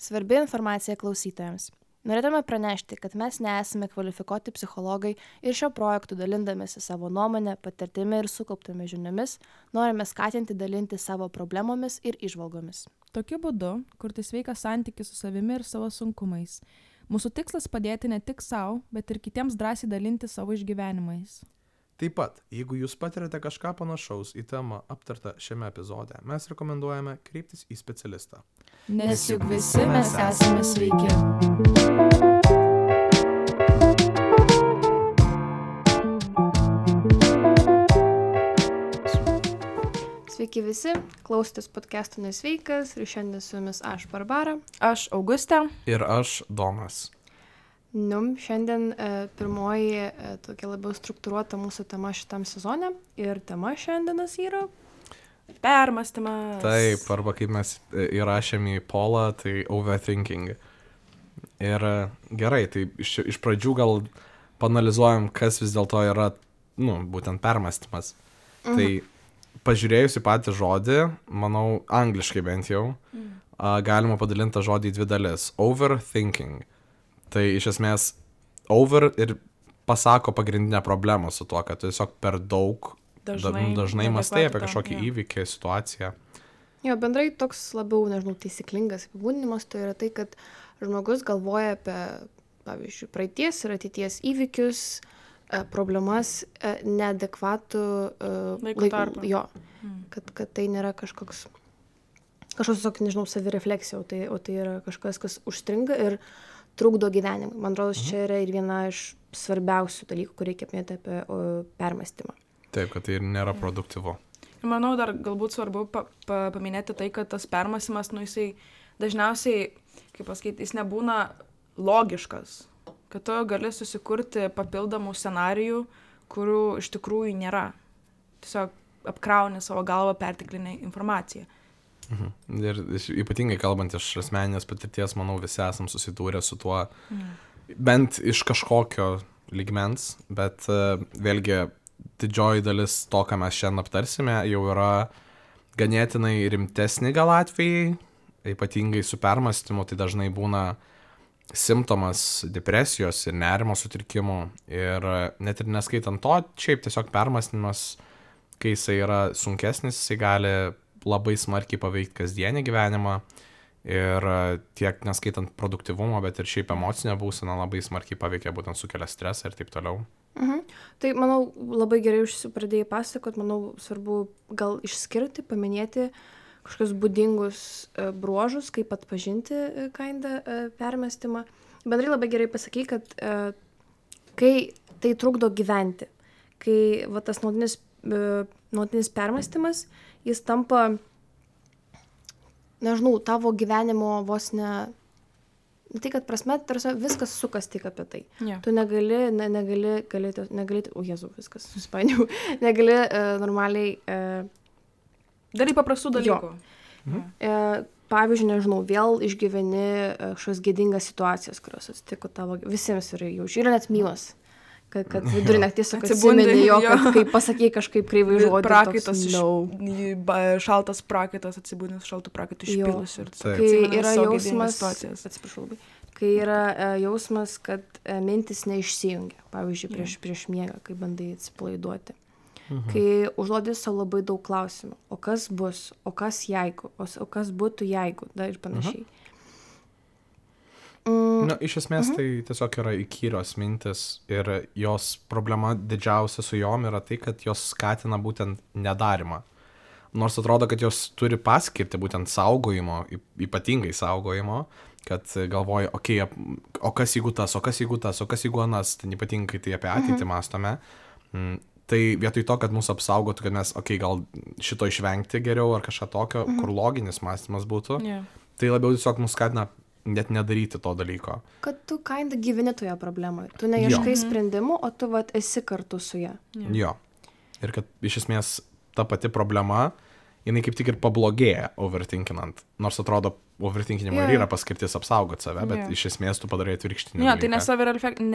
Svarbi informacija klausytojams. Norėtume pranešti, kad mes nesame kvalifikuoti psichologai ir šio projektu dalindamėsi savo nuomonę, patirtimi ir sukauptomis žiniomis, norime skatinti dalinti savo problemomis ir įžvalgomis. Tokiu būdu kurti sveiką santykį su savimi ir savo sunkumais. Mūsų tikslas padėti ne tik savo, bet ir kitiems drąsiai dalinti savo išgyvenimais. Taip pat, jeigu jūs patirate kažką panašaus į temą aptartą šiame epizode, mes rekomenduojame kreiptis į specialistą. Nes juk visi mes esame sveiki. Sveiki visi, klausotės podcast'o Nesveikas ir šiandien su jumis aš, Barbara. Aš Augustė. Ir aš, Domas. Šiandien pirmoji tokia labiau struktūruota mūsų tema šitam sezone ir tema šiandienas yra Permąstymas. Taip, arba kaip mes įrašėm į polą, tai overthinking. Ir gerai, tai iš pradžių gal paanalizuojam, kas vis dėlto yra, būtent permąstymas. Tai pažiūrėjus į patį žodį, manau, angliškai bent jau, galima padalinti tą žodį į dvi dalis. Overthinking. Tai iš esmės over ir pasako pagrindinę problemą su tuo, kad tu tiesiog per daug dažnai mąstai apie kažkokį įvykį, situaciją. Jo, bendrai toks labiau, taisyklingas apibūdinimas, tai yra tai, kad žmogus galvoja apie, pavyzdžiui, praeities ir ateities įvykius, problemas, neadekvatų laiko tarpą. Jo, kad tai nėra kažkoks savirefleksija, o tai yra kažkas, kas užstringa ir trukdo gyvenimui. Man atrodo, čia yra ir viena iš svarbiausių dalykų, kur reikia apmėti apie permąstymą. Taip, kad tai ir nėra produktyvu. Ir manau, dar galbūt svarbu paminėti tai, kad tas permąstymas, jisai dažniausiai, kaip pasakyti, jis nebūna logiškas. Kad tu gali susikurti papildomų scenarijų, kurių iš tikrųjų nėra. Tiesiog apkrauni savo galvą perteklinę informaciją. Ir ypatingai kalbant iš asmeninės patirties, manau, visi esam susidūrę su tuo, bent iš kažkokio lygmens, bet vėlgi didžioji dalis to, ką mes šiandien aptarsime, jau yra ganėtinai rimtesni gal atvejai, ypatingai su permąstymu, tai dažnai būna simptomas depresijos ir nerimo sutrikimų ir net ir neskaitant to, šiaip tiesiog permąstymas, kai jisai yra sunkesnis, jisai gali labai smarkiai paveikti kasdienį gyvenimą ir tiek neskaitant produktyvumo, bet ir šiaip emocinę būseną labai smarkiai paveikia, būtent sukelia stresą ir taip toliau. Tai, manau, labai gerai pradėjai pasakot, manau, svarbu gal išskirti, paminėti kažkokius būdingus bruožus, kaip atpažinti permąstymą. Bendrai labai gerai pasakai, kad kai tai trukdo gyventi, kai tas nuolatinis permąstymas, jis tampa, tavo gyvenimo vos ne tai, kad prasme, viskas sukas tik apie tai. Yeah. Tu negali, o Jėzau, viskas suspainiau, negali normaliai darai paprastų dalykų. Pavyzdžiui, vėl išgyveni kažkokias gėdingas situacijas, kurios atsitiko tavo, visiems yra jau, yra net mylas. Kad vidurį naktis atsimeni jo, kad kai pasakei kažkaip kreivai žodį. Prakaitas, šaltas prakaitas, atsibūdinus šaltų prakaitų išpilus. Kai yra jausmas, atsiprašau labai, kai yra jausmas, kad mintis neišsijungia, pavyzdžiui, prieš miegą, kai bandai atsipalaiduoti. Kai užduodi savo labai daug klausimų, o kas bus, o kas jeigu, o kas būtų jeigu, dar ir panašiai. Iš esmės tai tiesiog yra įkyrios mintis ir jos problema didžiausia su jom yra tai, kad jos skatina būtent nedarimą. Nors atrodo, kad jos turi paskirti būtent saugojimo, ypatingai saugojimo, kad galvoja, o kas jeigu tas, o kas jeigu tas, o kas jeigu anas, tai ypatingai tai apie ateitį mąstome. Tai vietoj to, kad mūsų apsaugotų, kad mes, gal šito išvengti geriau ar kažką tokio, kur loginis mąstymas būtų, tai labiau tiesiog mus skatina net nedaryti to dalyko. Kad tu gyveni toje problemoje. Tu neieškai sprendimų, o tu esi kartu su ja. Jo. Ir kad iš esmės ta pati problema, jinai kaip tik ir pablogėja overthinkinant. Nors atrodo, overthinkinimo ir yra paskirtis apsaugoti save, bet iš esmės tu padarai atvirkštinį dalyką. Tai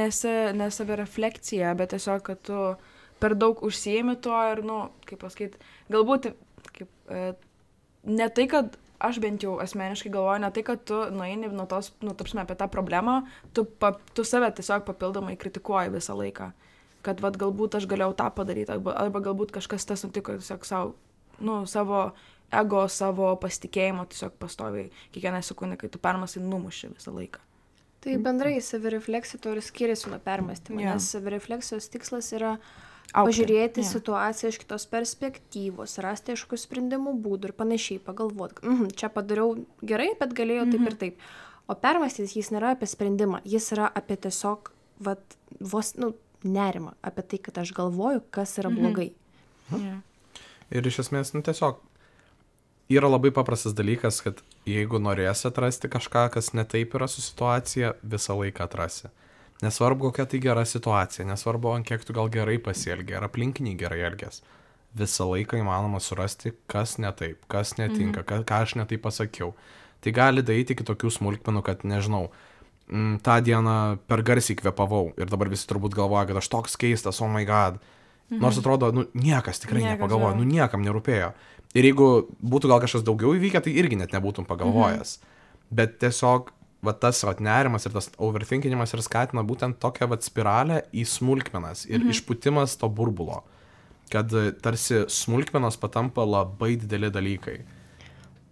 ne savirefleksija, bet tiesiog, kad tu per daug užsiėmi to ir, kaip pasakyti, galbūt ne tai, kad aš bent jau asmeniškai galvoju, ne tai, kad tu nueini nuo tos, tapsime apie tą problemą, tu save tiesiog papildomai kritikuoji visą laiką. Kad vat galbūt aš galėjau tą padaryti, arba galbūt kažkas tas nutiko tiesiog savo ego, savo pasitikėjimo tiesiog pastoviai kiekvieną sekundę, kai tu permasai, numuši visą laiką. Tai bendrai savirefleksija to ir skiriasi nuo permąstymo, nes savirefleksijos tikslas yra pažiūrėti situaciją iš kitos perspektyvos, rasti aišku sprendimų būdų ir panašiai, pagalvoti, čia padariau gerai, bet galėjau taip ir taip. O permąstytis jis nėra apie sprendimą, jis yra apie tiesiog nerimą, apie tai, kad aš galvoju, kas yra blogai. Ir iš esmės, tiesiog yra labai paprastas dalykas, kad jeigu norėsi atrasti kažką, kas netaip yra su situacija, visą laiką atrasi. Nesvarbu, kokia tai gera situacija, nesvarbu, ant kiek tu gal gerai pasielgi, ar aplinkiniai gerai elgės. Visą laiką įmanoma surasti, kas netaip, kas netinka, ką aš netaip pasakiau. Tai gali daryti iki tokių smulkmenų, kad, nežinau, tą dieną per garsiai kvėpavau ir dabar visi turbūt galvoja, kad aš toks keistas, oh my god. Nors atrodo, niekas tikrai nepagalvoja, niekam nerūpėjo. Ir jeigu būtų gal kažkas daugiau įvykę, tai irgi net nebūtum pagalvojęs. Bet tiesiog tas nerimas ir tas overthinkinimas ir skatina būtent tokią spiralę į smulkmenas ir išpūtimas to burbulo, kad tarsi smulkmenos patampa labai dideli dalykai.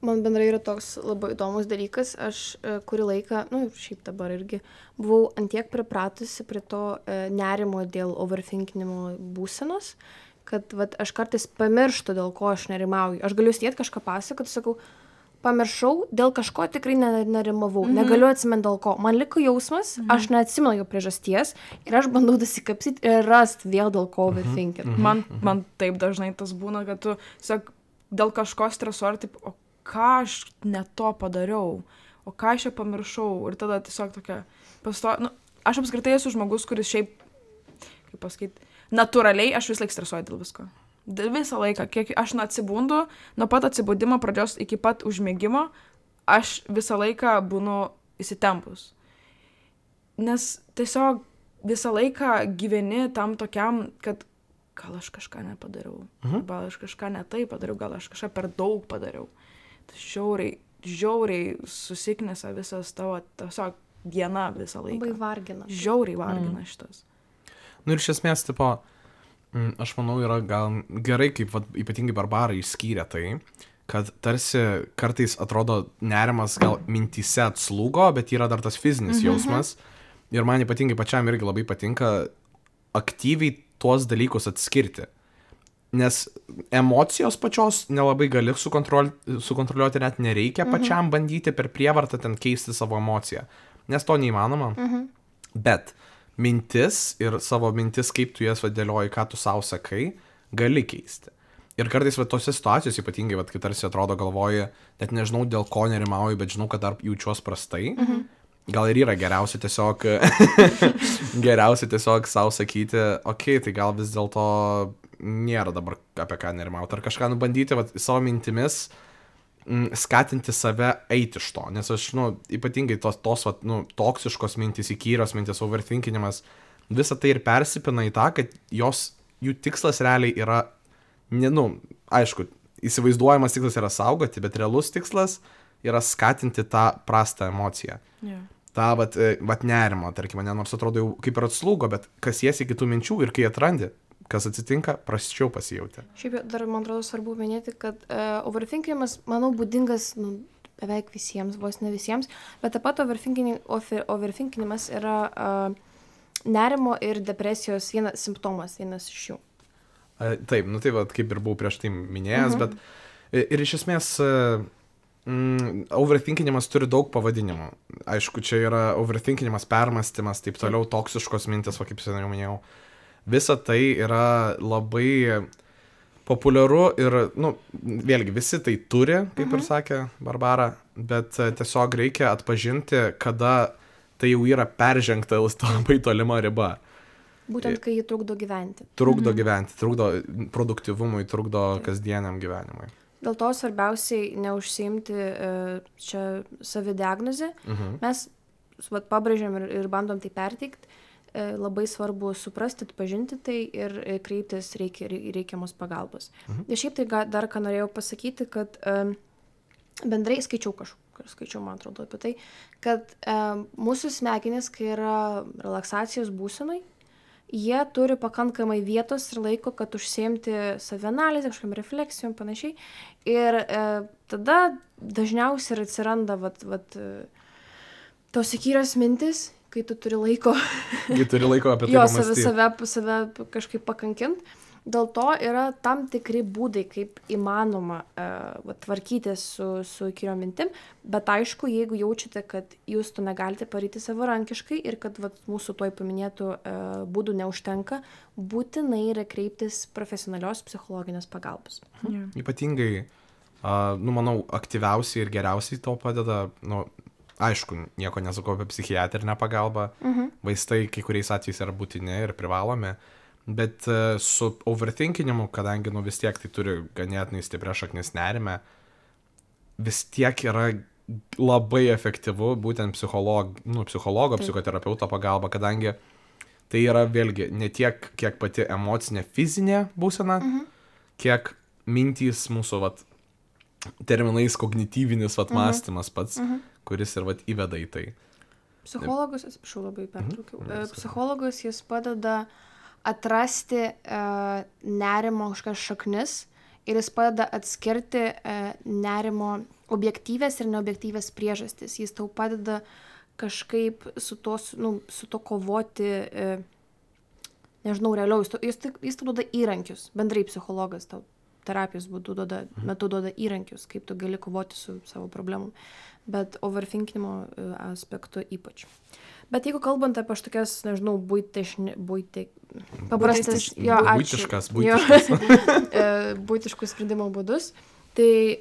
Man bendrai yra toks labai įdomus dalykas, aš kurį laiką, šiaip dabar irgi, buvau antiek pripratusi prie to nerimo dėl overthinkinimo būsenos, kad aš kartais pamirštu, dėl ko aš nerimauju. Aš galiu sėdėti kažką pasakoti, sakau, pamiršau, dėl kažko tikrai nerimavau, negaliu atsimenti dėl ko. Man liko jausmas, aš neatsimenu jo priežasties ir aš bandau dasikapsyti ir rasti vėl dėl ko overthinking. Man taip dažnai tas būna, kad tu, dėl kažko stresuoji, taip, o ką aš ne to padariau, o ką aš čia pamiršau ir tada tiesiog tokia aš apskritai esu žmogus, kuris šiaip, kaip pasakyti, natūraliai aš vis laik stresuoju dėl visko. Visą laiką, kiek aš atsibundu, nuo pat atsibudimo pradžios iki pat užmigimo, aš visą laiką būnu įsitempus. Nes tiesiog visą laiką gyveni tam tokiam, kad gal aš kažką nepadariau, gal aš kažką ne taip padariau, gal aš kažką per daug padariau. Tai žiauriai susiknesa visas tavo tiesiog diena visą laiką. Labai vargina. Žiauriai vargina šitas. Ir iš esmės, aš manau, yra gal gerai, kaip ypatingai Barbara išskyrė tai, kad tarsi kartais atrodo nerimas gal mintyse atslūgo, bet yra dar tas fizinis jausmas. Ir man ypatingai pačiam irgi labai patinka aktyviai tuos dalykus atskirti. Nes emocijos pačios nelabai gali sukontroliuoti, net nereikia pačiam bandyti per prievartą ten keisti savo emociją. Nes to neįmanoma. Bet mintis ir savo mintis, kaip tu jas dėlioji, ką tu savo sakai, gali keisti. Ir kartais tose situacijose, ypatingai, kai tarsi atrodo galvoji, net nežinau dėl ko nerimauju, bet žinau, kad dar jaučiuos prastai, gal ir yra geriausia tiesiog savo sakyti, okei, tai gal vis dėlto nėra dabar apie ką nerimauti, ar kažką nubandyti savo mintimis, skatinti save eiti iš to, nes aš, ypatingai tos toksiškos mintis, įkyrios mintis, overthinkinimas, visa tai ir persipina į tą, kad jų tikslas realiai yra, aišku, įsivaizduojamas tikslas yra saugoti, bet realus tikslas yra skatinti tą prastą emociją. Ta nerimo, tarkim, nors atrodo jau kaip ir atslūgo, bet kas jėsi kitų minčių ir kai atrandi, kas atsitinka, prasčiau pasijauti. Šiaip dar, man atrodo, svarbu minėti, kad overthinkinimas, manau, būdingas beveik visiems, vos ne visiems, bet taip pat overthinkinimas yra nerimo ir depresijos vienas simptomas, vienas iš jų. Taip, kaip ir buvau prieš tai minėjęs, bet ir iš esmės overthinkinimas turi daug pavadinimų. Aišku, čia yra overthinkinimas, permąstymas, taip toliau, toksiškos mintis, kaip seniau minėjau. Visa tai yra labai populiaru ir, vėlgi, visi tai turi, kaip ir sakė Barbara, bet tiesiog reikia atpažinti, kada tai jau yra peržengta labai tolima riba. Būtent, kai jį trukdo gyventi. Trukdo gyventi, trukdo produktyvumui, trukdo kasdieniam gyvenimui. Dėl to svarbiausiai neužsiimti čia savidiagnozę. Mes pabrėžiam ir bandom tai perteikti. Labai svarbu suprasti, atpažinti tai ir kreiptis reikiamos pagalbos. Ir šiaip tai dar ką norėjau pasakyti, kad bendrai skaičiau, man atrodo, apie tai, kad mūsų smegenys, kai yra relaksacijos būsenai, jie turi pakankamai vietos ir laiko, kad užsiimti savianalizę, kažkam refleksijom, panašiai. Ir tada dažniausiai ir atsiranda tos įkyrios mintis, kai tu turi laiko. Kai turi laiko apie tai pamąstyti. Save kažkaip pakankint. Dėl to yra tam tikri būdai, kaip įmanoma tvarkytis su įkyriom mintim, bet aišku, jeigu jaučiate, kad jūs to negalite padaryti savarankiškai ir kad mūsų toj paminėtų būdų neužtenka, būtinai yra kreiptis profesionalios psichologinės pagalbos. Ypatingai, manau, aktyviausiai ir geriausiai to padeda, aišku, nieko nesakau apie psichiatrinę pagalbą, vaistai kai kuriais atvejais yra būtini ir privalomi. Bet su overthinkinimu, kadangi vis tiek tai turi ganėtinai stiprią šaknis nerime, vis tiek yra labai efektyvu būtent psichologo, psichoterapeuto pagalba, kadangi tai yra vėlgi ne tiek, kiek pati emocinė fizinė būsena, kiek mintys mūsų terminais kognityvinis mąstymas pats, kuris ir įveda į tai. Psichologas, atsiprašau, labai pertraukiau. Psichologas jis padeda atrasti nerimo kažkokias šaknis ir jis padeda atskirti nerimo objektyvės ir neobjektyvės priežastis. Jis tau padeda kažkaip su to kovoti, nežinau, realiau. Jis tau duoda įrankius, bendrai psichologas tau terapijos metu duoda įrankius, kaip tu gali kovoti su savo problemom. Bet overthinkinimo aspektu ypač. Bet jeigu kalbant apie tokias, nežinau, būtiškus sprendimo būdus, tai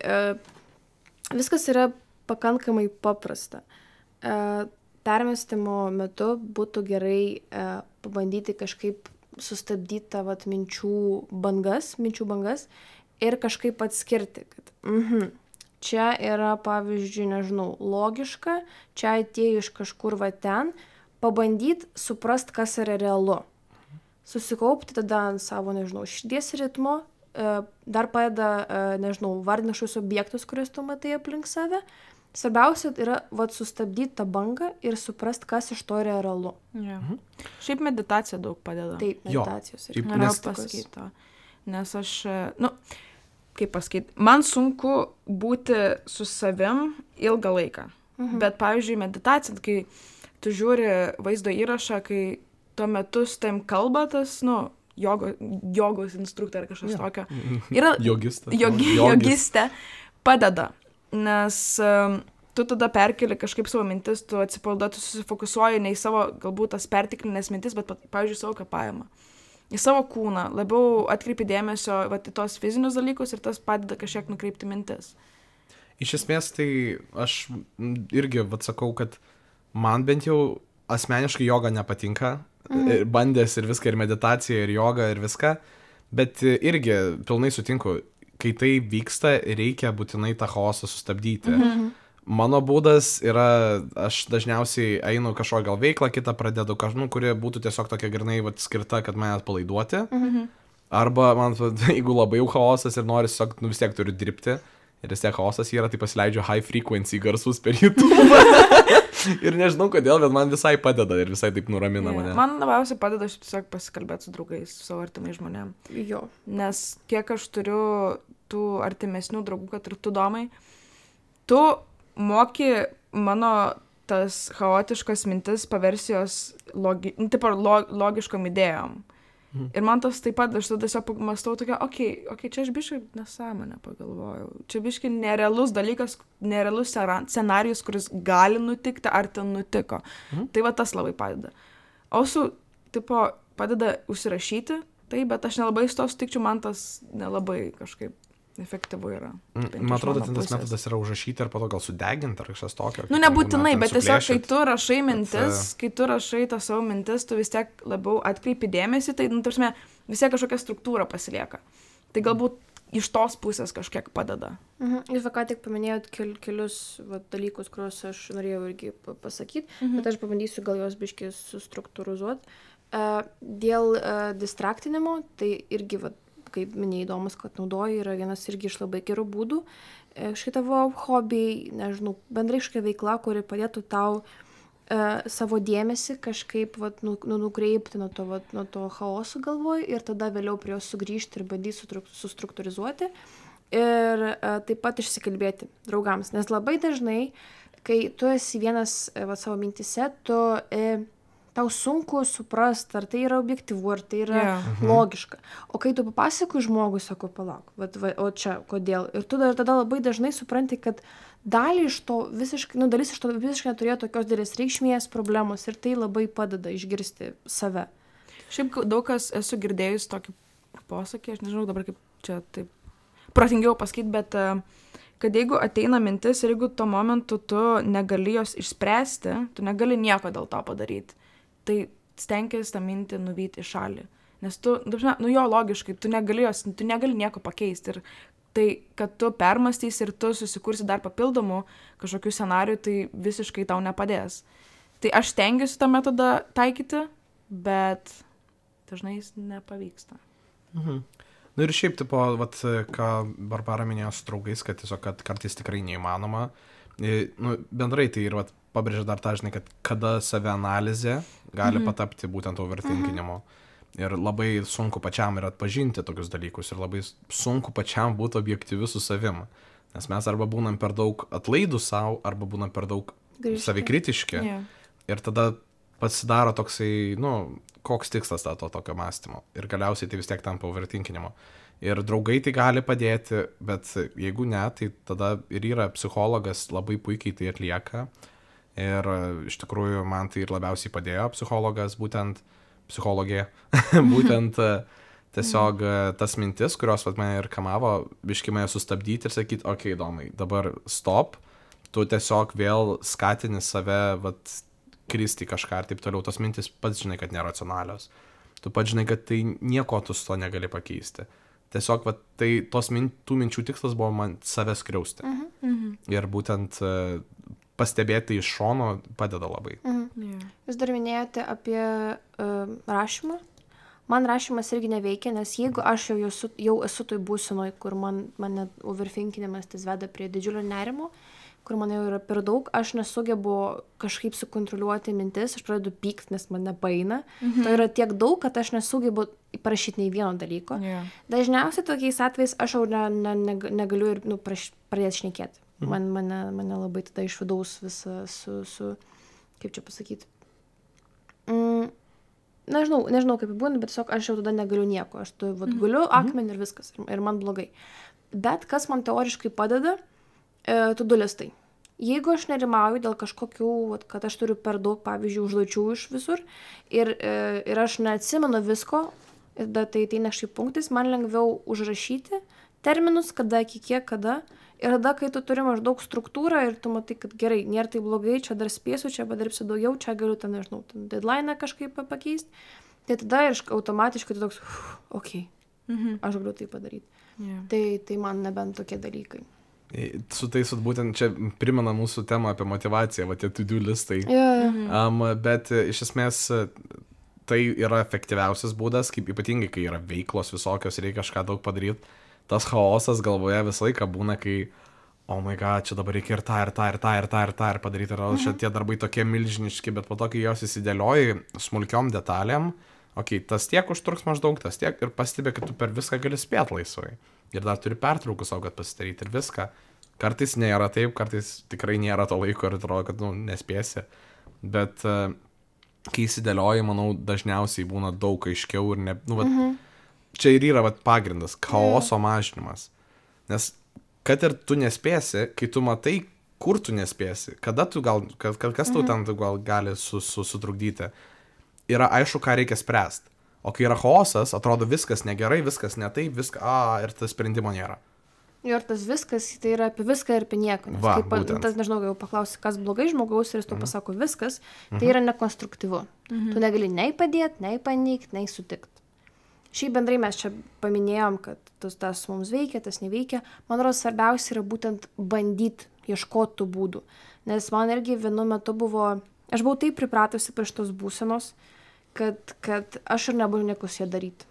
viskas yra pakankamai paprasta. Permestimo metu būtų gerai pabandyti kažkaip sustabdyti tą minčių bangas ir kažkaip atskirti, kad čia yra, pavyzdžiui, nežinau, logiška, čia atėjo iš kažkur ten, pabandyti suprast, kas yra realu. Susikaupti tada ant savo, nežinau, širdies ritmo, dar padeda, nežinau, vardinti kažkokius objektus, kuriuos tu matai aplink save. Svarbiausia yra sustabdyti tą bangą ir suprast, kas iš to yra realu. Šiaip meditacija daug padeda. Taip, meditacijos. Norėjau pasakyti. Nes aš, kaip pasakyti, man sunku būti su savim ilgą laiką. Bet, pavyzdžiui, meditacija, kai tu žiūri vaizdo įrašą, kai tuo metu su tavim kalba tas, jogos instruktorė ar kažkas tokio. Yra jogistė padeda, nes tu tada perkeli kažkaip savo mintis, tu atsipalaiduoji, tu susifokusuoji ne į savo, galbūt tas perteklinės mintis, bet, pavyzdžiui, savo kvėpavimą. Į savo kūną, labiau atkreipi dėmesio į tos fizinius dalykus ir tas padeda kažkiek nukreipti mintis. Iš esmės, tai aš irgi sakau, kad man bent jau asmeniškai joga nepatinka, bandęs ir viską, ir meditacija, ir joga, ir viską, bet irgi pilnai sutinku, kai tai vyksta, reikia būtinai tą chaosą sustabdyti. Mano būdas yra, aš dažniausiai einu kažkokią gal veiklą, kitą pradedu kažką, kuri būtų tiesiog tokia grynai skirta, kad mane atpalaiduoti. Arba, man, jeigu labai jau chaosas ir nori tiesiog, vis tiek turiu dirbti, ir vis tiek chaosas yra, tai pasileidžiu high frequency garsus per YouTube. Ir nežinau kodėl, bet man visai padeda ir visai taip nuramina mane. Man labiausiai padeda aš tiesiog pasikalbėti su draugais, su savo artimais žmonėm. Jo. Nes kiek aš turiu tų artimesnių draugų, kad ir tu, Domai, tu moki mano tas chaotiškas mintis paversi jos logiškom idėjom. Ir man tas taip pat, aš tada tiesiog mąstau tokia, okei, čia aš biškai nesąmonę pagalvojau. Čia biškai nerealus dalykas, nerealus scenarijus, kuris gali nutikti, ar ten nutiko. Tai va tas labai padeda. O su, padeda užsirašyti, tai, bet aš nelabai su to sutikčiau, man tas nelabai kažkaip efektyvu yra. Man atrodo, tas metodas yra užrašyti ir po to gal sudeginti ar kažkas tokio. Nebūtinai, bet tiesiog, kai tu rašai mintis, kai tu rašai tą savo mintis, tu vis tiek labiau atkreipi dėmesį, tai, tarsi, vis tiek kažkokia struktūra pasilieka. Tai galbūt iš tos pusės kažkiek padeda. Jūs ką tik paminėjot kelius dalykus, kuriuos aš norėjau irgi pasakyti, bet aš pabandysiu gal juos biškai sustruktūrizuoti. Dėl distraktinimo, tai irgi kaip minėjai, įdomus, kad naudoji, yra vienas irgi iš labai gerų būdų. kažkokie tavo hobiai, nežinau, bendrai kažkokia veikla, kuri padėtų tau savo dėmesį kažkaip vat, nukreipti nuo to chaoso galvoj ir tada vėliau prie jo sugrįžti ir bandyti sustruktūrizuoti ir taip pat išsikalbėti draugams. Nes labai dažnai, kai tu esi vienas savo mintise, tau sunku suprasti, ar tai yra objektyvu, ar tai yra logiška. O kai tu papasakoji žmogui, sako, palauk, o čia kodėl. Ir tu tada labai dažnai supranti, kad dalis iš to visiškai neturėjo tokios didelės reikšmės problemos ir tai labai padeda išgirsti save. Šiaip daug kas esu girdėjus tokį posakį, aš nežinau dabar kaip čia taip protingiau pasakyti, bet kad jeigu ateina mintis ir jeigu tuo momentu tu negali jos išspręsti, tu negali nieko dėl to padaryti, tai stenkis tą mintį nuvyti į šalį. Nes tu, jo logiškai, tu negali nieko pakeisti. Ir tai, kad tu permastysi ir tu susikursi dar papildomų kažkokių scenarijų, tai visiškai tau nepadės. Tai aš stengiuosi tą metodą taikyti, bet dažnai jis nepavyksta. Nu ir šiaip, tipo, vat, ką Barbara minėjo su draugais, kad tiesiog, kad kartais tikrai neįmanoma. Nu, bendrai tai ir vat, pabrėžia dar tą, žinai, kad kada savianalizė gali patapti būtent overthinkinimu. Ir labai sunku pačiam ir atpažinti tokius dalykus ir labai sunku pačiam būti objektyviu su savim. Nes mes arba būnam per daug atlaidų savo, arba būnam per daug savikritiški. Ir tada pasidaro toksai, koks tikslas to tokio mąstymo. Ir galiausiai tai vis tiek tampa overthinkinimu. Ir draugai tai gali padėti, bet jeigu ne, tai tada ir yra psichologas, labai puikiai tai atlieka. Ir iš tikrųjų man tai ir labiausiai padėjo psichologas, būtent psichologija, būtent tiesiog tas mintis, kurios mane ir kamavo, biškį mane sustabdyti ir sakyti, okei, Domai, dabar stop, tu tiesiog vėl skatini save, kristi kažką ir taip toliau, tos mintis pats žinai, kad neracionalios. Tu pats žinai, kad tai nieko tu su to negali pakeisti. Tiesiog, tai tų minčių tikslas buvo man save skriausti. Ir būtent pastebėti iš šono padeda labai. Jūs dar minėjote apie rašymą. Man rašymas irgi neveikia, nes jeigu aš jau esu toj būsenoj, kur mane overthinkinimas tas veda prie didžiulio nerimo, kur man jau yra per daug, aš nesugebu kažkaip sukontroliuoti mintis, aš pradedu pykti, nes man nepaeina. To yra tiek daug, kad aš nesugebu parašyti nei vieno dalyko. Dažniausiai tokiais atvejais aš jau negaliu ir pradėti šnekėti. Mane labai tada iš vidaus visą su kaip čia pasakyti. Nežinau kaip būna, bet tiesiog aš jau tada negaliu nieko. Aš guliu akmenį ir viskas. Ir man blogai. Bet kas man teoriškai padeda, to-do listai. Jeigu aš nerimauju dėl kažkokių, kad aš turiu per daug, pavyzdžiui, užduočių iš visur ir aš neatsimenu visko, tai ateina kažkaip punktais, man lengviau užrašyti terminus, kada, iki kiek, kada. Ir tada, kai tu turi maždaug struktūrą ir tu matai, kad gerai, nėra tai blogai, čia dar spėsiu, čia padirbsiu daugiau, čia galiu ten, nežinau, deadline kažkaip pakeisti, tai tada ir automatiškai tu toks, okei, aš galiu tai padaryti. Tai man nebent tokie dalykai. Su tais, būtent čia primena mūsų temą apie motivaciją, tie to-do listai. Bet iš esmės tai yra efektyviausias būdas, kaip ypatingai, kai yra veiklos visokios, reikia kažką daug padaryti. Tas chaosas galvoje visą laiką būna, kai, oh my god, čia dabar reikia ir tą padaryti, ir čia tie darbai tokie milžiniški, bet po to, kai jos įsidėlioji smulkiom detalėm, tas tiek užtruks maždaug, tas tiek, ir pastebė, kad tu per viską gali spėti laisvai. Ir dar turi pertraukus savo, kad pasidaryti ir viską. Kartais nėra taip, kartais tikrai nėra to laiko ir atrodo, kad, nespėsi. Bet kai įsidėlioji, manau, dažniausiai būna daug aiškiau ir čia ir yra pagrindas, chaoso mažinimas. Nes kad ir tu nespėsi, kai tu matai, kur tu nespėsi, kada tu kas tau ten gali sutrukdyti, yra aišku, ką reikia spręsti. O kai yra chaosas, atrodo viskas negerai, viskas ne taip, ir tas sprendimo nėra. Ir tas viskas, tai yra apie viską ir apie nieko. Nes tas, nežinau, jau paklausi, kas blogai žmogaus ir jis tau pasako viskas, tai yra nekonstruktyvu. Tu negali nei padėti, nei paneigti, nei sutikti. Šiaip bendrai mes čia paminėjom, kad tas mums veikia, tas neveikia. Man atrodo, svarbiausia yra būtent bandyti ieškoti tų būdų. Nes man irgi vienu metu aš buvau taip pripratusi prie šitos būsenos, kad aš ir nebūčiau nieko su ja daryti.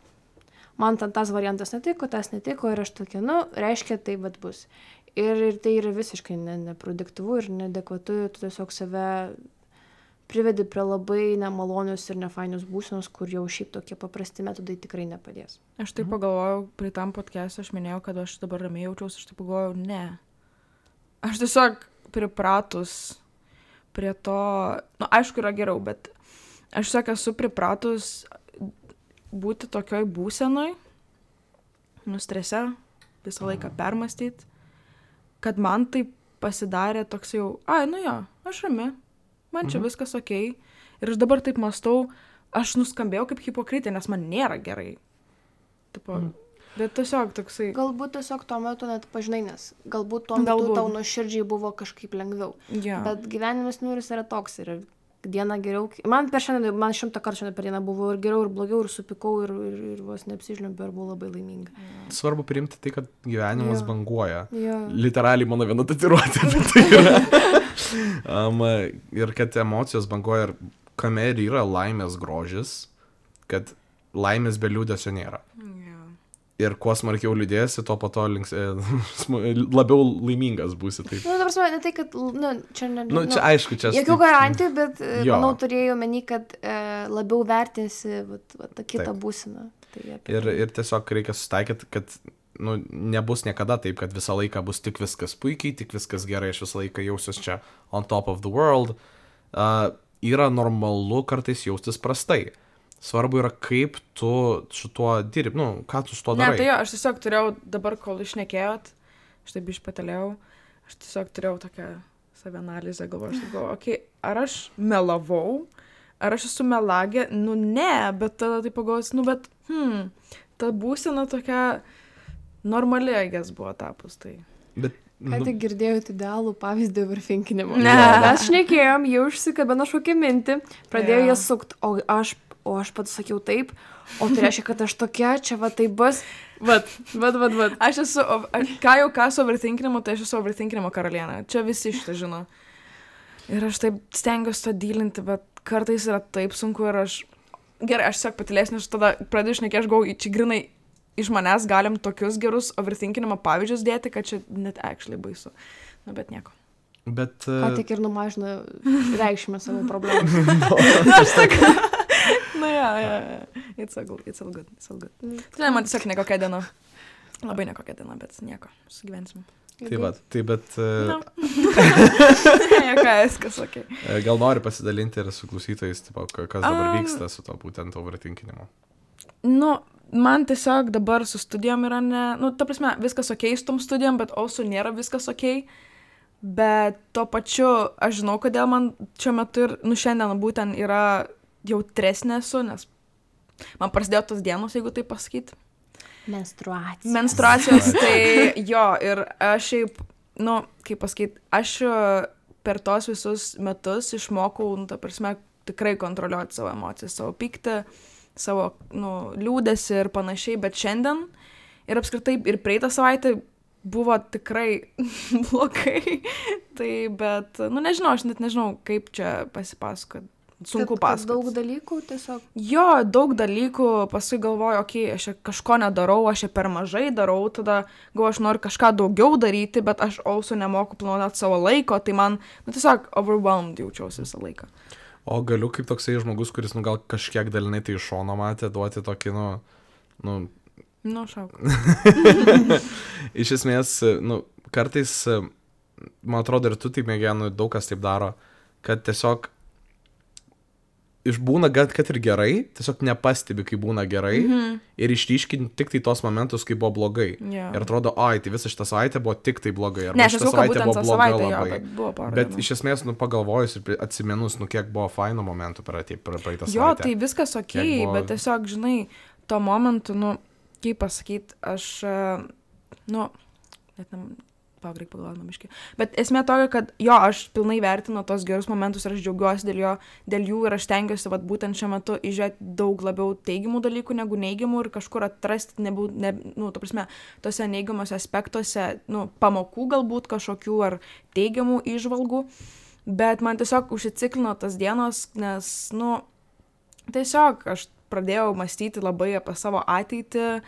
Man tas variantas netiko, tas netiko ir aš tokia, reiškia, tai bus. Ir tai yra visiškai neproduktyvu ir neadekvatu, tu tiesiog save privedi prie labai nemalonius ir nefainius būsenos, kur jau šiaip tokie paprasti metodai tikrai nepadės. Aš taip pagalvojau, prie tam podcast aš minėjau, kad aš dabar ramiai jaučiausi, aš taip pagalvojau, ne. Aš tiesiog pripratus prie to, aišku, yra geriau, bet aš tiesiog esu pripratus būti tokioj būsenoj, strese, visą laiką permastyti, kad man tai pasidarė toks jau, aš rami. Man čia viskas okei. Ir aš dabar taip mąstau, aš nuskambėjau kaip hipokritė, nes man nėra gerai. Bet tiesiog toksai... Galbūt tiesiog tuo metu net pažinai, nes galbūt tuo metu tau nuoširdžiai buvo kažkaip lengviau. Yeah. Bet gyvenimas jis yra toks ir dieną geriau... Man 100 kartų šiandien per dieną buvo ir geriau, ir blogiau, ir supikau, ir vos neapsižliumpiau, ir buvau labai laiminga. Svarbu priimti tai, kad gyvenimas banguoja. Yeah. Literaliai mano viena tatuiruotė apie tai yra. Ir kad emocijos banguoja ir kame ir yra laimės grožis, kad laimės be liūdesio nėra. Yeah. Ir kuo smarkiau liūdėsi, to po to labiau laimingas būsi. Taip. Ta prasme, ne tai, kad, čia ne... Čia aišku, čia... Jokių garantijų, bet, manau, turėjau meni, kad labiau vertinsi tą kitą būseną. Ir tiesiog reikia susitaikyti, kad nebus niekada taip, kad visą laiką bus tik viskas puikiai, tik viskas gerai, aš visą laiką jausiuos čia on top of the world. Yra normalu kartais jaustis prastai. Svarbu yra, kaip tu su tuo dirbi, ką tu su tuo darai. Ne, tai aš tiesiog turėjau, dabar kol išnekėjot, aš taip išpatelėjau, aš tiesiog turėjau tokią savianalizę, galvoju, ar aš melavau, ar aš esu melagė, ne, bet tada taip pagalvojus, ta būsena tokia normali, agės buvo tapus, tai. Bet, ką tik girdėjot idealų pavyzdį overthinkinimo. Ne. Mes šnekėjom, jau užsikabino kažkokią mintį, pradėjau ją sukt, o aš pats sakiau taip, o tai reiškia, kad aš tokia, čia tai bus, Aš esu, ką su overthinkinimu, tai aš esu overthinkinimo karalienė, čia visi šitą žino. Ir aš taip stengiuosi to dylinti, bet kartais yra taip sunku ir gerai, aš tiesiog patilėsiu, nes tada pradėjau šnekėti, aš galvoju, čia grinai iš manęs galim tokius gerus overthinkinimo pavyzdžius dėti, kad čia net actually baisu. Bet nieko. Bet... Ką tik ir numažina reikšmę savo problemų. It's all good. Tai man tiesiog nekokia diena. Labai nekokia diena, bet nieko, sugyvensime. Tai bet... Viskas, okei. Gal nori pasidalinti ir su klausytojais, kas dabar vyksta su to būtent overthinkinimu? Man tiesiog dabar su studijom yra ta prasme, viskas okei su tom studijom, bet also nėra viskas okei. Bet tuo pačiu, aš žinau, kodėl man šiuo metu ir, šiandien būtent yra jautresnė esu, nes man prasidėjo tos dienos, jeigu tai pasakyti. Menstruacijos, tai jo, ir aš šiaip, kaip pasakyti, aš per tos visus metus išmokau, ta prasme, tikrai kontroliuoti savo emocijas, savo pyktį, savo, liūdesį ir panašiai, bet šiandien ir apskritai ir praeitą savaitę buvo tikrai blogai, tai bet, nežinau, aš net nežinau, kaip čia pasipasakot. Sunku pasakoti. Daug dalykų tiesiog? Jo, daug dalykų, paskui galvoju, aš kažko nedarau, aš per mažai darau, tada galvoju, aš noriu kažką daugiau daryti, bet aš also nemoku planuoti savo laiko, tai man, tiesiog overwhelmed jaučiausi visą laiką. O galiu kaip toksai žmogus, kuris, gal kažkiek dalinai tai iš šono matė, duoti tokį, šauk. Iš esmės, kartais, man atrodo, ir tu taip mėgėjai, daug kas taip daro, kad tiesiog išbūna, kad ir gerai, tiesiog nepastebi, kai būna gerai, ir išryškinti tik tai tos momentus, kai buvo blogai. Yeah. Ir atrodo, tai visa šitą savaitę buvo tik tai blogai. Ne, aš esu, kad būtent tą savaitę, bet iš esmės, pagalvojus ir atsimenus, kiek buvo faino momentų praeitą savaitę. Jo, tai viskas okei, bet tiesiog, žinai, tuo momentu, kaip pasakyti, aš, net reikia pagalvoti biškį. Bet esmė tokia, kad aš pilnai vertinu tos gerus momentus ir aš džiaugiuosi dėl jų ir aš stengiuosi būtent šiuo metu įžiūrėti daug labiau teigiamų dalykų negu neigiamų ir kažkur atrasti, ta prasme, tose neigiamuose aspektuose, pamokų galbūt kažkokių ar teigiamų įžvalgų, bet man tiesiog užsiciklino tas dienos, nes, tiesiog aš pradėjau mąstyti labai apie savo ateitį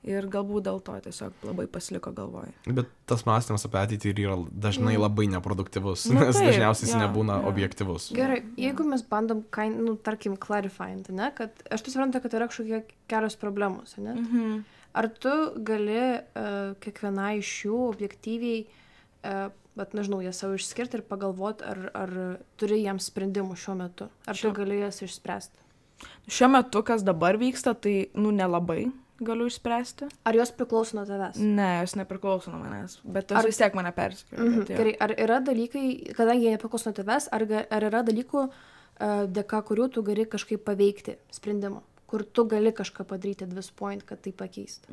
Ir galbūt dėl to tiesiog labai pasiliko galvoje. Bet tas mąstymas apie ateitį yra dažnai labai neproduktyvus, Nu, nes taip, dažniausiai jis jo, nebūna jo. objektyvus. Gerai, jeigu mes bandom, tarkim, clarifying, ne, kad aš tu suprantu, kad yra kažkokie kelios problemos, ne? Ar tu gali kiekviena iš jų objektyviai, bet nežinau, jas savo išskirti ir pagalvoti, ar turi jiems sprendimų šiuo metu, ar tu gali jas išspręsti? Šiuo metu, kas dabar vyksta, tai, nelabai galiu išspręsti. Ar jos priklauso nuo tavęs? Ne, jos nepriklauso nuo manęs, bet tas vis tiek mane persikėlė. Gerai, ar yra dalykai, kadangi jie nepriklauso nuo tavęs, ar yra dalykų, dėka kurių tu gali kažkaip paveikti sprendimą, kur tu gali kažką padaryti at this point, kad tai pakeistų?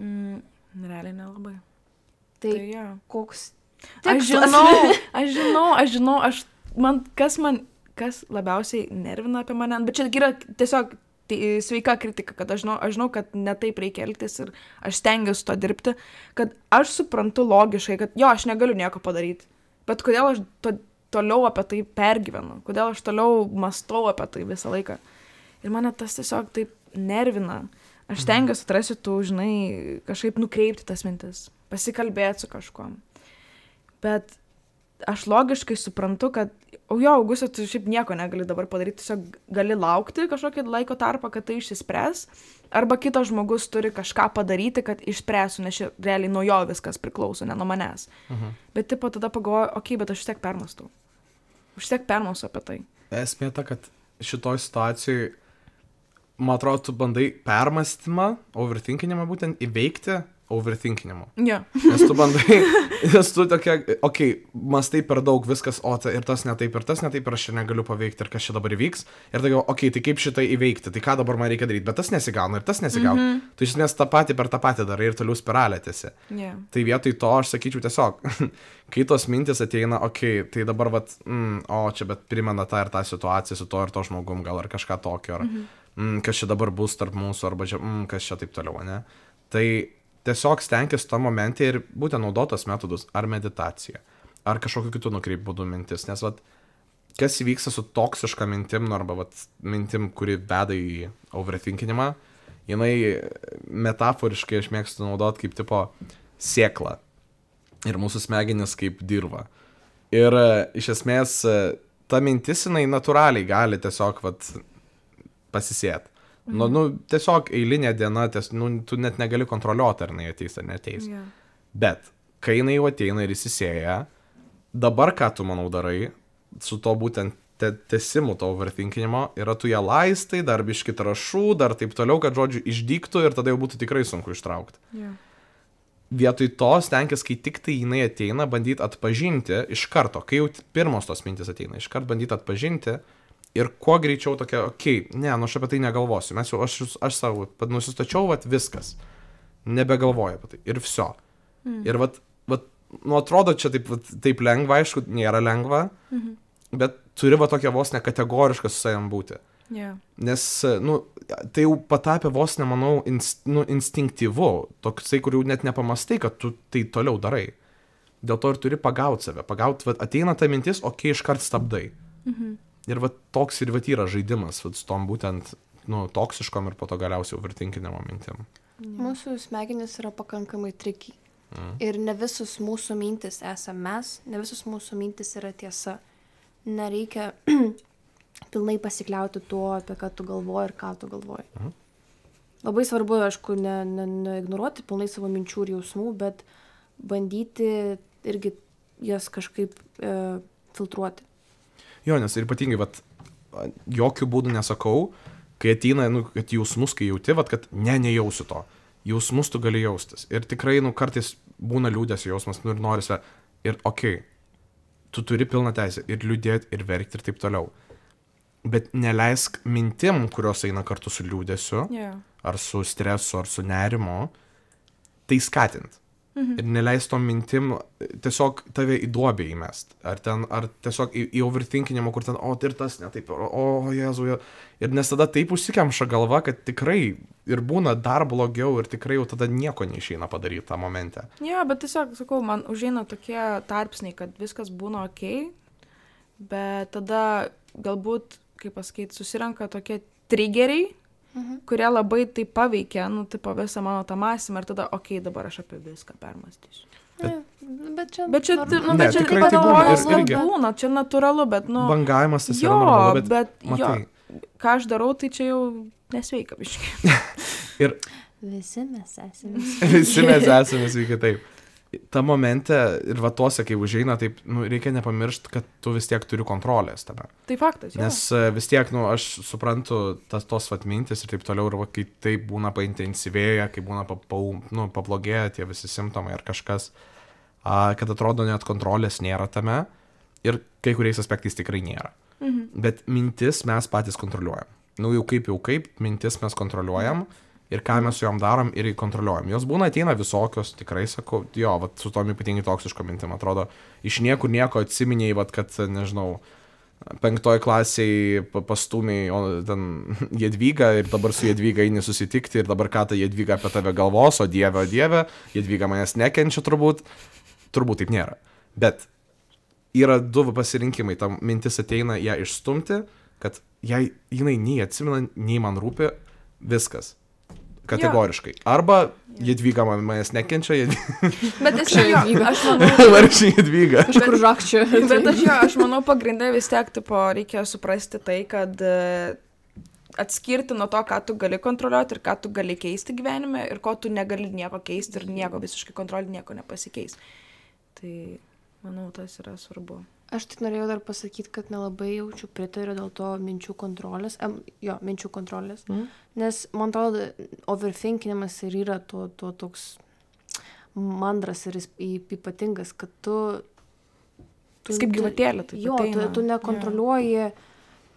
Realiai nelabai. Tai jo. koks... Aš žinau, kas labiausiai nervina apie mane, bet čia yra tiesiog sveika kritika, kad aš žinau, kad ne taip reikia elgtis ir aš stengiuosi to dirbti, kad aš suprantu logiškai, kad jo, aš negaliu nieko padaryti, bet kodėl aš toliau apie tai pergyvenu, kodėl aš toliau mąstau apie tai visą laiką. Ir mane tas tiesiog taip nervina. Aš stengiuosi atrasti tų, žinai, kažkaip nukreipti tas mintis, pasikalbėti su kažkuom. Bet aš logiškai suprantu, kad Augustė, tu šiaip nieko negali dabar padaryti, tiesiog gali laukti kažkokį laiko tarpą, kad tai išsispręs, arba kitas žmogus turi kažką padaryti, kad išspręsų, nes realiai nuo jo viskas priklauso, ne nuo manęs. Bet tipo tada pagalvoju, bet aš vis tiek permąstau. Aš vis tiek permąstau apie tai. Esmė ta, kad šitoj situacijoj, man atrodo, tu bandai permąstymą, overthinkinimą būtent įveikti overthinkinimu. Jo. Nes tu bandai, nes tu tokia, mastai per daug viskas, ir tas netaip, ir aš čia negaliu paveikti, ir kas čia dabar įvyks. Ir tai tai kaip šitai įveikti, tai ką dabar man reikia daryti, bet tas nesigauna, ir tas nesigauna. Tu iš esmės tą patį per tą patį darai ir toliau spiralė tiesi. Tai vietoj to aš sakyčiau tiesiog, kai tos mintis ateina, tai dabar čia bet primena tą ir tą situaciją su to ir to žmogum, gal ar kažką tokio, ar kas čia dabar bus tarp mūsų, arba kas čia taip toliau, ne? Tai tiesiog stenkis to momente ir būtent naudotos metodus, ar meditacija, ar kažkokiu kitų nukreip būdų mintis, nes kas įvyksta su toksiška mintim, arba mintim, kuri veda į overthinkinimą, jinai metaforiškai aš mėgstu naudoti kaip tipo sėklą ir mūsų smegenis kaip dirva. Ir iš esmės ta mintis jinai natūraliai gali tiesiog pasisėti. Tiesiog eilinė diena, tu net negali kontroliuoti, ar jinai ateis ar neteis. Bet, kai jinai jau ateina ir įsisėja, dabar ką tu, manau, darai su to būtent tesimu to overthinkinimo, yra tu ją laistai, dar biški trąšų, dar taip toliau, kad žodžiu išdyktų ir tada jau būtų tikrai sunku ištraukti. Vietoj to stenkis, kai tik tai jinai ateina, bandyti atpažinti iš karto, kai jau pirmos tos mintis ateina, iš karto bandyti atpažinti, ir kuo greičiau tokia, aš apie tai negalvosiu, aš savo nusistačiau, viskas, nebegalvoju apie tai, ir viso. Ir atrodo čia taip lengva, aišku, nėra lengva, bet turi tokia vos nekategoriška su savim būti. Nes, tai jau patapė vos nemanau instinktyvu, toksai, kur jau net nepamastai, kad tu tai toliau darai. Dėl to ir turi pagauti save, ateina ta mintis, iškart stabdai. Ir toks ir yra žaidimas su tom būtent toksiškom ir po to galiausiai overthinkinimo mintim. Mūsų smegenys yra pakankamai tricky. Ir ne visus mūsų mintis esame mes, ne visus mūsų mintis yra tiesa. Nereikia pilnai pasikliauti tuo, apie ką tu galvoji ir ką tu galvoji. Labai svarbu, aišku, neignoruoti pilnai savo minčių ir jausmų, bet bandyti irgi jas kažkaip filtruoti. Jo, nes ir ypatingai, jokių būdų nesakau, kai ateina, kad jausmus, kai jauti, kad nejausiu to. Jausmus tu gali jaustis. Ir tikrai, kartais būna liūdesio jausmas, ir norisi, ir tu turi pilną teisę ir liūdėti, ir verkti, ir taip toliau. Bet neleisk mintim, kurios eina kartu su liūdesiu, ar su stresu, ar su nerimo, tai skatinti. Ir neleis tom mintim tiesiog tave į duobę įmest. Ar tiesiog į overthinkinimą, kur ten, ir tas netaip, Jėzau. Ir nes tada taip užsikemša galva, kad tikrai ir būna dar blogiau ir tikrai jau tada nieko neišeina padaryti tą momentą. Jo, bet tiesiog, sakau, man užeina tokie tarpsniai, kad viskas būna bet tada galbūt, kaip pasakyti, susirenka tokie triggeriai, kurie labai tai paveikia, nu, tipo visą mano tą mąstymą ir tada, dabar aš apie viską permąstysiu. Bet čia... Bet čia, Ne, tikrai tai būna, ir irgi. Būna, čia natūralu, bet, nu... Bangavimas tas yra normalu, bet matai. Ką aš darau, tai čia jau nesveika biškai. Ir Visi mes esame. visi mes esame sveiki taip. Ta momente ir va tose, kai užeina, taip, nu, reikia nepamiršti, kad tu vis tiek turi kontrolės tame. Tai faktas, jo. Nes vis tiek, nu, aš suprantu tos vat mintis ir taip toliau, ir va, kai taip būna paintensyvėja, kai būna pablogėja tie visi simptomai ar kažkas, kad atrodo net kontrolės nėra tame ir kai kuriais aspektais tikrai nėra. Bet mintis mes patys kontroliuojam. Nu, jau kaip, mintis mes kontroliuojam ir ką mes su jom darom ir kontroliuojam. Jos būna ateina visokios, tikrai sakau, jo, vat, su tom ypatingai toksiško mintim, atrodo, iš niekur nieko atsiminėjai, vat, kad, nežinau, 5 klasiai pastūmiai ten Jadvygą ir dabar su Jadvyga eini susitikti ir dabar ką ta Jadvyga apie tave galvos, o dieve, Jadvyga manęs nekenčia turbūt taip nėra. Bet yra 2 pasirinkimai, tam mintis ateina ją išstumti, kad jinai nei atsimena, nei man rūpi, viskas. Kategoriškai. Arba Jadvyga manęs nekenčia, Bet aš manau... Varšiai Jadvyga. Kažkur žakčiu. Bet aš manau, pagrindai vis tiek, tipo, reikia suprasti tai, kad atskirti nuo to, ką tu gali kontroliuoti ir ką tu gali keisti gyvenime ir ko tu negali nieko keisti ir nieko visiškai kontroliuoti, nieko nepasikeis. Tai, manau, tas yra svarbu. Aš tik norėjau dar pasakyti, kad nelabai jaučiu pritariu dėl to minčių kontrolės. Minčių kontrolės. Nes, man atrodo, overthinkinimas ir yra to toks mandras ir ypatingas, kad tu kaip gyvatėlė, tai ateina. Tu nekontroliuoji,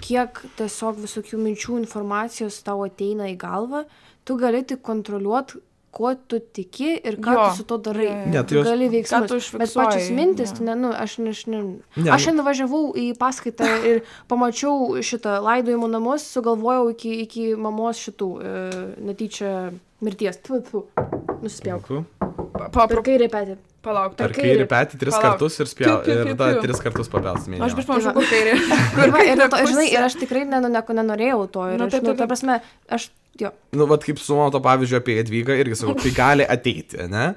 kiek tiesiog visokių minčių informacijos tau ateina į galvą. Tu gali tik kontroliuoti, ko tu tiki ir ką tu su to darai. Tu gali veiksmus. Bet pačios mintis, aš nuvažiavau į paskaitą ir pamačiau šitą laidojimo namus, sugalvojau iki mamos šitų netyčia mirties. Nusispjauk. Per kairį petį. Palauk, per kairį petį 3 kartus ir 3 kartus papels. Aš prieš panašu, kur kairį. Ir aš tikrai nenorėjau to. Ta prasme, jo. Nu, vat kaip su mano to pavyzdžiu apie Jadvygą, irgi sakau, tai gali ateiti, ne?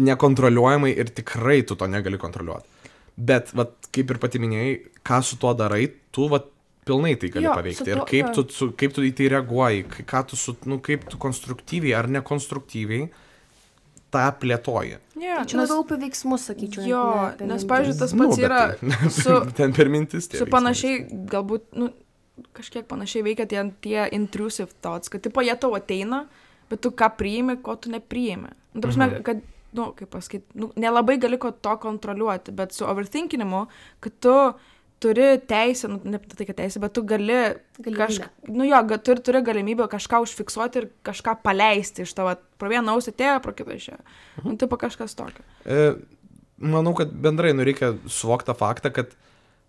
Nekontroliuojamai ir tikrai tu to negali kontroliuoti. Bet, vat, kaip ir pati minėjai, ką su tuo darai, tu, vat, pilnai tai gali paveikti. Ir kaip tu į tai reaguoji, kaip tu konstruktyviai ar nekonstruktyviai tą plėtoji. Čia labiau apie veiksmus, sakyčiau. Jo, nes, pavyzdžiui, tas pats yra ten per mintis tie su panašiai, galbūt, kažkiek panašiai veikia tie intrusive thoughts, kad tipo jie tau ateina, bet tu ką priimi, ko tu nepriimi. Ta prasme, kad, kaip pasakyti, nelabai gali ko to kontroliuoti, bet su overthinkinimu, kad tu turi teisę, ne tai, kad teisę, bet tu gali turi galimybę kažką užfiksuoti ir kažką paleisti iš tavo, pro vieną ausį atėjo, pro kitą išėjo. Tipo kažkas tokio. Manau, kad bendrai reikia suvokti tą faktą, kad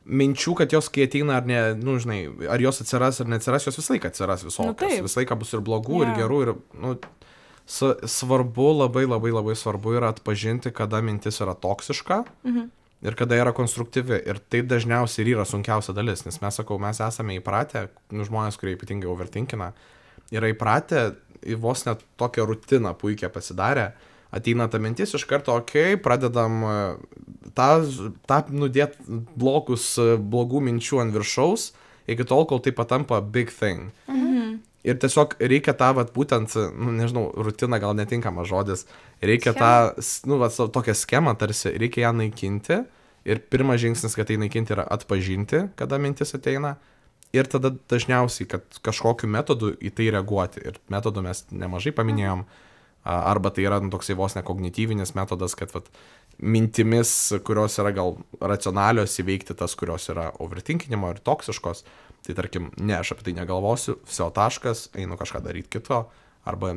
minčių, kad jos kai ateina ar ne, žinai, ar jos atsiras ar neatsiras, jos visą laiką atsiras visokios. Visą laiką bus ir blogų, ir gerų, ir, svarbu, labai svarbu yra atpažinti, kada mintis yra toksiška ir kada yra konstruktyvi. Ir tai dažniausiai ir yra sunkiausia dalis, nes mes esame įpratę, žmonės, kurie ypatingai overthinkina, yra įpratę į vos net tokią rutiną puikiai pasidarę. Ateina ta mintis iš karto, pradedam tą nudėt blogų minčių ant viršaus, iki tol, kol tai patampa big thing. Ir tiesiog reikia tą, būtent, nežinau, rutina gal netinkamas žodis, reikia tokią schemą tarsi, reikia ją naikinti. Ir pirmas žingsnis, kad tai naikinti, yra atpažinti, kada mintis ateina. Ir tada dažniausiai, kad kažkokiu metodu į tai reaguoti. Ir metodų mes nemažai paminėjom. Arba tai yra toksai vos nekognityvinis metodas, kad mintimis, kurios yra gal racionalios, įveikti tas, kurios yra overthinkinimo ir toksiškos. Tai tarkim, aš apie tai negalvosiu, viso taškas, einu kažką daryti kito, arba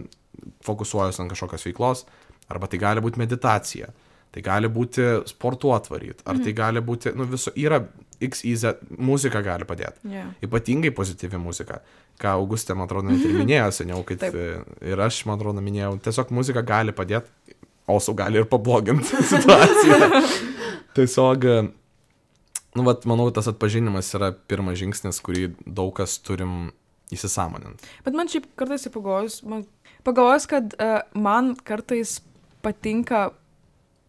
fokusuojuosi ant kažkokios veiklos, arba tai gali būti meditacija, tai gali būti sportuotvaryt, ar tai gali būti, yra XYZ, muzika gali padėti. Ypatingai pozityvi muzika. Ką Augustė, man atrodo, net ir minėjo seniau, kad ir aš, man atrodo, minėjau, tiesiog muzika gali padėti, also gali ir pabloginti situaciją. Tiesiog, manau, tas atpažinimas yra pirmas žingsnis, kurį daug kas turim įsisąmonint. Bet man šiaip kartais pagalvojus, kad man kartais patinka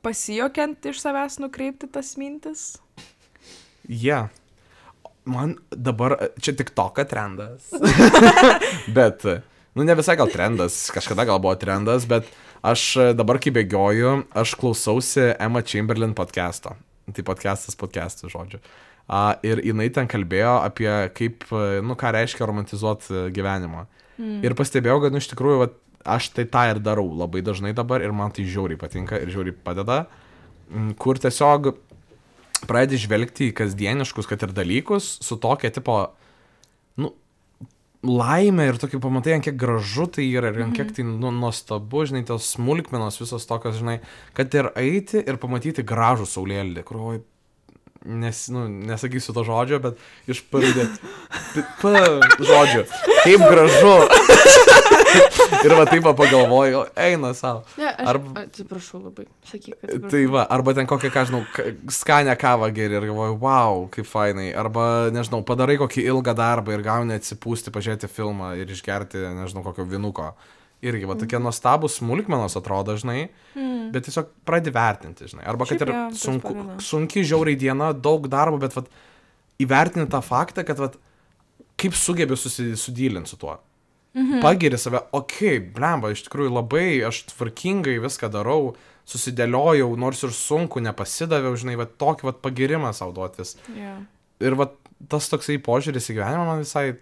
pasijokiant iš savęs nukreipti tas mintis. Man dabar, čia tik toka trendas. Bet, ne visai gal trendas, kažkada gal buvo trendas, bet aš dabar, kai bėgioju, aš klausausi Emma Chamberlain podcast'o. Tai podcastas, žodžiu. Ir jinai ten kalbėjo apie kaip, ką reiškia romantizuoti gyvenimą. Ir pastebėjau, kad, iš tikrųjų, aš tai tą ir darau labai dažnai dabar ir man tai žiauriai patinka ir žiauriai padeda, kur tiesiog pradedi žvelgti į kasdieniškus, kad ir dalykus, su tokia tipo, laimė ir tokį pamatai, ant kiek gražu tai yra ir ant kiek tai nuostabu, žinai, tos smulkmenos visos tokios, žinai, kad ir eiti ir pamatyti gražų saulėlydį, kur, nesakysiu to žodžio, bet išpardė, žodžiu, kaip gražu. Ir taip pagalvoju, eina savo. Atsiprašau labai, sakyk. Tai arba ten kokią, skanę kavą geri ir galvoju, wow, kaip fainai. Arba, nežinau, padarai kokį ilgą darbą ir gauni atsipūsti, pažiūrėti filmą ir išgerti, nežinau, kokio vinuko. Irgi, tokie nuostabus smulkmenos atrodo, žinai, bet tiesiog pradedi vertinti, žinai. Arba kad ir sunki žiauriai diena, daug darbo, bet įvertinti tą faktą, kad kaip sugebi sudylinti su tuo. Pagiri save, blemba, iš tikrųjų labai, aš tvarkingai viską darau, susidėliojau, nors ir sunku, nepasidaviau, žinai, tokį pagirimą savo duotis. Ir tas toksai požiūris į gyvenimą man visai,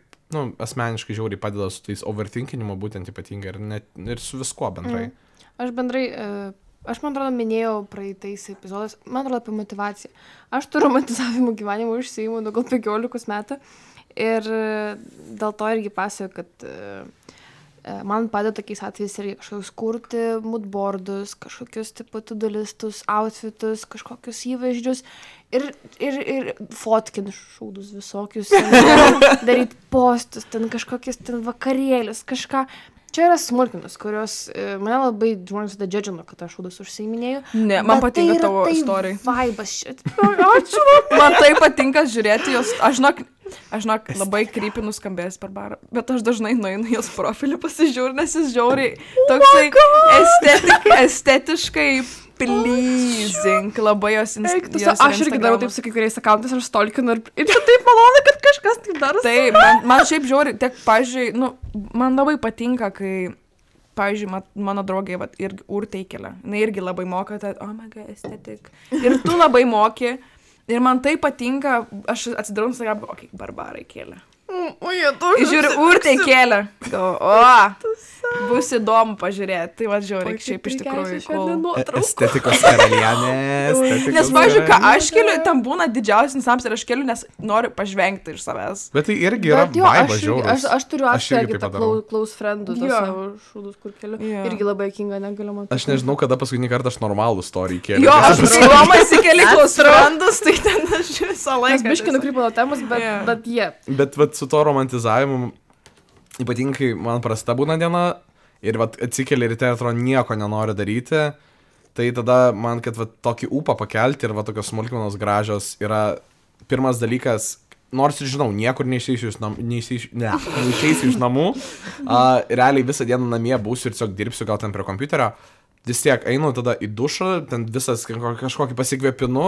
asmeniškai žiauriai padeda su tais overthinkinimu būtent ypatingai ir su viskuo bendrai. Aš man atrodo, minėjau praeitais epizodais, man atrodo apie motivaciją. Aš tų romantizavimų gyvenimų užsiimu gal 15 metų. Ir dėl to irgi pasakoju, kad man padeda tokiais atvejais irgi kažkokius kurti moodboardus, kažkokius to-do listus, outfitus, kažkokius įvaizdžius ir fotkint šūdus visokius, daryti postus, ten kažkokius ten vakarėlius, kažką. Čia yra smulkinos, kurios mane labai žmonės tada džedžino, kad aš šūdus užsiiminėjau. Ne, man patinka tavo istorija. Vaibas šit. Ačiū. Man tai patinka žiūrėti jos. Aš žinok, labai krypį nuskambėjęs per barą, bet aš dažnai nueinu jos profilį pasižiūriu, nes jis žiauriai toksai estetiškai pleasing, labai jos Instagram. Aš irgi darau taip su kai kuriais akauntais, aš stalkinu ir taip malonu, kad kažkas taip daro. Taip, man šiaip žiauriai, tiek, pavyzdžiui, man labai patinka, kai, pavyzdžiui, mano draugė irgi Urtė įkelia. Na irgi labai moka, oh my god, estetik. Ir tu labai moki. Ir man tai patinka, aš atsidarau Instagram, Barbarai kėlė. Žiūriu, Urtė kėlė. Bus įdomu pažiūrėti. Tai žiūrėk, šiaip iš tikrųjų. Estetikos karalienės. Nes, pavyzdžiui, ką aš keliu, tam būna didžiausias insams ir aš keliu, nes noriu pažvengti iš savęs. Bet tai irgi yra vaiba žiaurus. Aš turiu irgi tą close friendų, tos savo šūdus, kur keliu. Irgi labai kinga, negaliu matyti. Aš nežinau, kada paskutinį kartą aš normalų story kėliau. Jo, aš Romas įkeli close friendus, tai ten aš visą laiką. Aš biškai nukrypau nuo temos, bet jie. Bet su to romantizavimu, ypatingai man prasta būna diena ir atsikeli ryte ir atrodo nieko nenori daryti, tai tada man, kad tokį ūpą pakelti ir tokios smulkmenos gražios yra pirmas dalykas, nors ir žinau, niekur neišeisiu iš namų, realiai visą dieną namie būsiu ir tiesiog dirbsiu gal ten prie kompiuterio, vis tiek einu tada į dušą, ten visas kažkokį pasikvėpinu,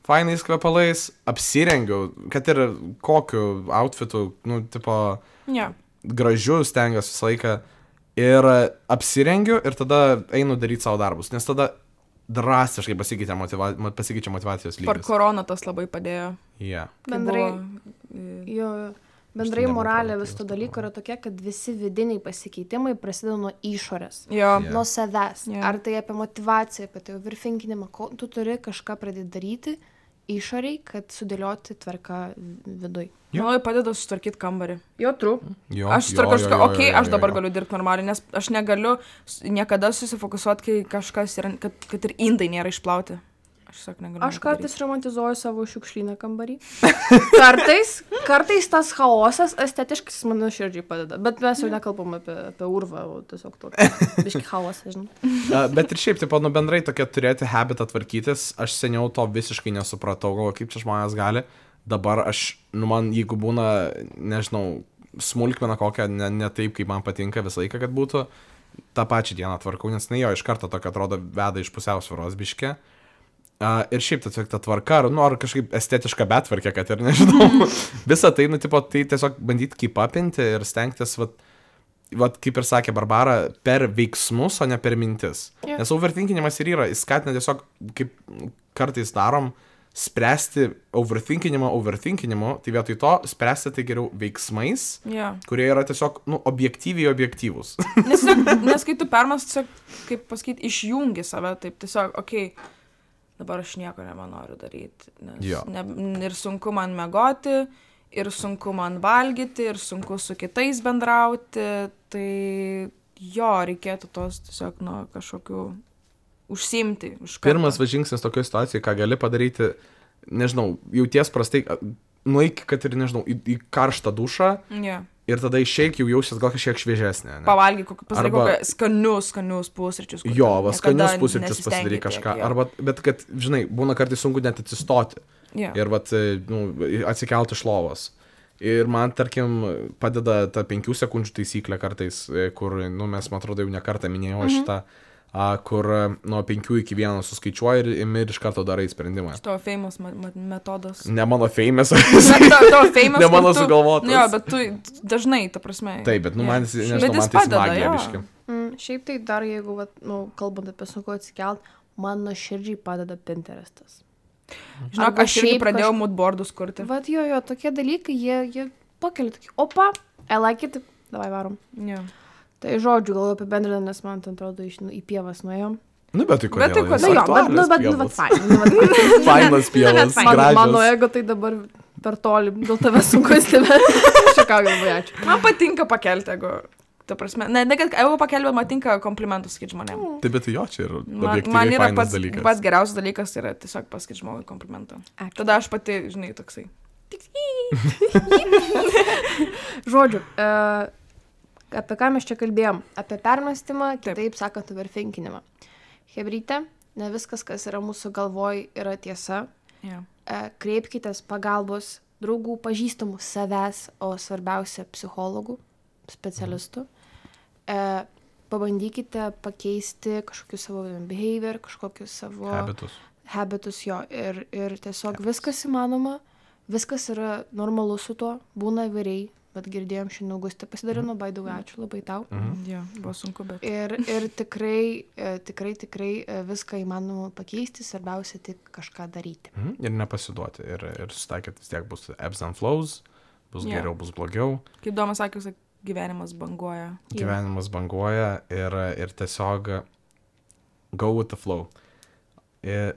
fainais kvepalais, apsirengiu, kad ir kokiu outfitu, gražiu stengiuosi visą laiką ir apsirengiu ir tada einu daryti savo darbus, nes tada drastiškai pasikeičia motyvacijos lygis. Per koroną tas labai padėjo. Bendrai moralė vis to dalyko yra tokia, kad visi vidiniai pasikeitimai prasideda nuo išorės, nuo savęs. Ar tai apie motyvaciją, apie tai overthinkinimą, tu turi kažką pradėti daryti išoriai, kad sudėlioti tvarką viduj. Manau, padeda sutvarkyti kambarį. Aš sutvarkau, aš dabar galiu dirbti normaliai, nes aš negaliu niekada susifokusuoti, kai kažkas yra, kad ir indai nėra išplauti. Aš kartais romantizuoju savo šiukšlyną kambarį. Kartais tas chaosas estetiškai man širdžiai padeda, bet mes jau nekalbam apie urvą, o tiesiog tokį biškį chaosą, žinai. Bet ir šiaip, bendrai tokia turėti habitą tvarkytis, aš seniau to visiškai nesupratau, kaip čia žmonės gali. Dabar man, jeigu būna, nežinau, smulkmeną kokią, ne taip, kaip man patinka visą laiką, kad būtų, tą pačią dieną tvarkau, nes jo iš karto tokia atrodo veda iš pusiausvyros biškė. Ir šiaip tiesiog ta tvarka, ar kažkaip estetiška betvarkė, kad ir nežinau. Visą tai, tai tiesiog bandyti keep-upinti ir stengtis, vat kaip ir sakė Barbara, per veiksmus, o ne per mintis. Yeah. Nes overthinkinimas ir yra, jis skatina tiesiog, kaip kartais darom, spręsti overthinkinimu, tai vietoj to spręsti tai geriau veiksmais, kurie yra tiesiog, objektyviai objektyvus. Nes kai tu permas, tiesiog, kaip pasakyti, išjungi save, taip tiesiog, dabar aš nieko nebenoriu daryti, nes ir sunku man mėgoti, ir sunku man valgyti, ir sunku su kitais bendrauti, tai reikėtų tos tiesiog kažkokių užsiimti. Pirmas žingsnis tokioje situacijoje, ką gali padaryti, nežinau, jauties prastai, nueik, kad ir, nežinau, į karštą dušą ir tada išeik, jau jausies gal kažkiek šviežesnė. Pavalgyk, skanius pusryčius. Skanius pusryčius pasidaryk kažką. Bet kad, žinai, būna kartais sunku net atsistoti ir atsikelti iš lovos. Ir man, tarkim, padeda ta 5 sekundžių taisyklė kartais, kur, mes, man atrodo, jau ne kartą minėjau šitą, kur nuo 5 iki 1 suskaičiuoji ir iš karto darai sprendimą. Tavo famous metodas. Ne mano famous. Tavo famous. Ne mano sugalvotas. Jo, bet tu dažnai, ta prasme. Taip, bet, man, nežinau, man tai smagija biški. Šiaip tai dar, jeigu, kalbant apie sunku atsikelt, man nuoširdžiai padeda Pinterestas. Žinok, aš irgi pradėjau moodboardus kurti. Vat jo, tokie dalykai, jie pakelia tokį, opa, I like it, davai varom. Jo. Tai žodžiu, gal apibendrinant, nes man atrodo į pievas nuėjom. Bet tai kodėl? Bet Fainas pievas, gražios. Mano ego tai dabar per toli, dėl tave sunku stebėti. Šiekau, labai ačiū. Man patinka pakelti ego. Ta prasme, ne kad ego pakelti, bet man tinka komplimentus sakyti žmonėm. Taip, bet jo, čia yra objektyviai fainas dalykas. Man pats geriausias dalykas yra tiesiog pasakyti žmogui komplimentą. Tada aš pati, žinai, toksai. Žodžiu, apie ką mes čia kalbėjom? Apie permąstymą, kitaip sakant, overthinkinimą. Hebryte, ne viskas, kas yra mūsų galvoj, yra tiesa. Kreipkitės pagalbos draugų, pažįstamų, savęs, o svarbiausia psichologų, specialistų. Pabandykite pakeisti kažkokius savo behavior, kažkokius savo habitus jo. Ir tiesiog viskas įmanoma, viskas yra normalu su tuo, būna įvairiai. Bet girdėjom šiandien Augustė pasidalino, by the way, ačiū labai tau. Jo, buvo sunku, bet. Ir tikrai viską įmanoma pakeisti, svarbiausia tik kažką daryti. Ir nepasiduoti. Ir susitaikyti vis tiek bus ebbs and flows, bus geriau, bus blogiau. Kaip Domas sakė, gyvenimas banguoja. Gyvenimas banguoja ir tiesiog go with the flow.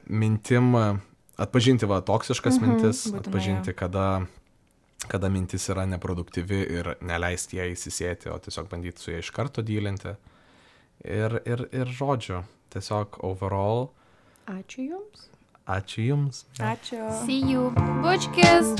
Mintim, atpažinti toksiškas mintis, atpažinti, kada mintis yra neproduktyvi ir neleisti ją įsisėti, o tiesiog bandyti su ją iš karto dylinti. Ir žodžiu, tiesiog overall. Ačiū Jums. Ačiū Jums. Ačiū. See you. Bučkis.